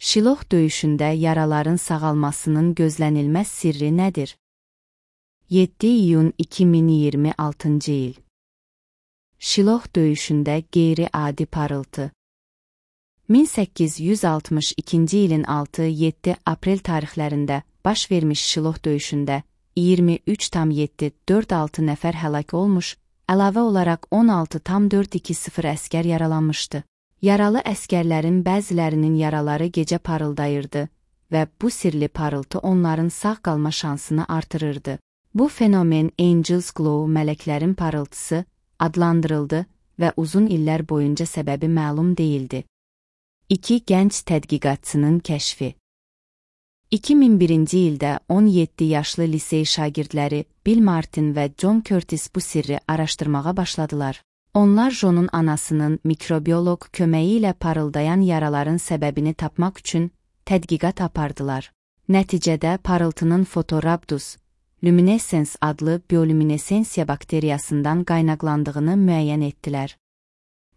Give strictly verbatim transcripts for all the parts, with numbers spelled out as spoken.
Şiloh döyüşündə yaraların sağalmasının gözlənilməz sirri nədir? yeddi iyun iki min iyirmi altıncı il. Şiloh döyüşündə qeyri-adi parıltı. min səkkiz yüz altmış ikinci ilin altı yeddi aprel tarixlərində baş vermiş Şiloh döyüşündə iyirmi üç tam yeddi dörd altı nəfər həlak olmuş, əlavə olaraq on altı tam dörd iki sıfır əskər yaralanmışdı. Yaralı əskərlərin bəzilərinin yaraları gecə parıldayırdı və bu sirli parıltı onların sağ qalma şansını artırırdı. Bu fenomen Angel's Glow, mələklərin parıltısı adlandırıldı və uzun illər boyunca səbəbi məlum değildi. İki gənc tədqiqatçının kəşfi. iki min birinci ildə on yeddi yaşlı lisey şagirdləri Bill Martin və John Curtis bu sirri araşdırmağa başladılar. Onlar John'un anasının mikrobioloq köməyi ilə parıldayan yaraların səbəbini tapmaq üçün tədqiqat apardılar. Nəticədə parıltının Photorhabdus luminescens adlı bioluminesensiya bakteriyasından qaynaqlandığını müəyyən etdilər.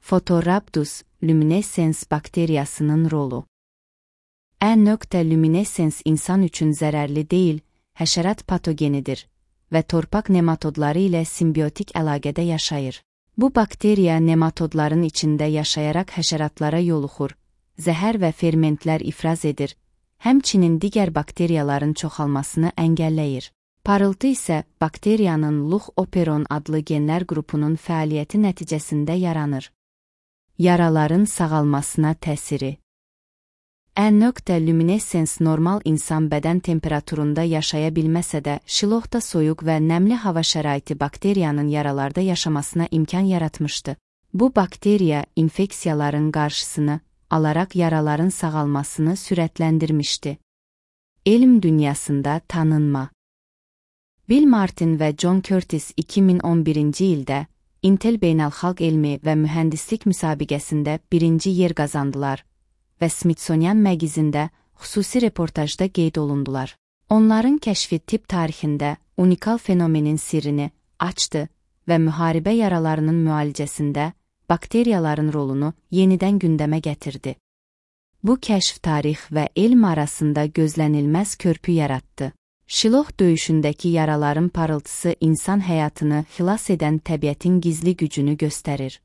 Photorhabdus luminescens bakteriyasının rolu. E-luminescens insan üçün zərərli deyil, həşərat patogenidir və torpaq nematodları ilə simbiotik əlaqədə yaşayır. Bu bakteriya nematodların içində yaşayaraq həşəratlara yoluxur, zəhər və fermentlər ifraz edir, həmçinin digər bakteriyaların çoxalmasını əngəlləyir. Parıltı isə bakteriyanın Luch operon adlı genlər qrupunun fəaliyyəti nəticəsində yaranır. Yaraların sağalmasına təsiri. E-luminescens normal insan bədən temperaturunda yaşaya bilməsə də, Şilohda soyuq və nəmli hava şəraiti bakteriyanın yaralarda yaşamasına imkan yaratmışdı. Bu bakteriya infeksiyaların qarşısını alaraq yaraların sağalmasını sürətləndirmişdi. Elm dünyasında tanınma. Bill Martin və John Curtis iki min on birinci ildə Intel Beynəlxalq Elmi və Mühəndislik müsabiqəsində birinci yer qazandılar və Smithsonian məqizində xüsusi reportajda qeyd olundular. Onların kəşfi tibb tarixində unikal fenomenin sirrini açdı və müharibə yaralarının müalicəsində bakteriyaların rolunu yenidən gündəmə gətirdi. Bu kəşf tarix və elm arasında gözlənilməz körpü yaratdı. Şiloh döyüşündəki yaraların parıltısı insan həyatını xilas edən təbiətin gizli gücünü göstərir.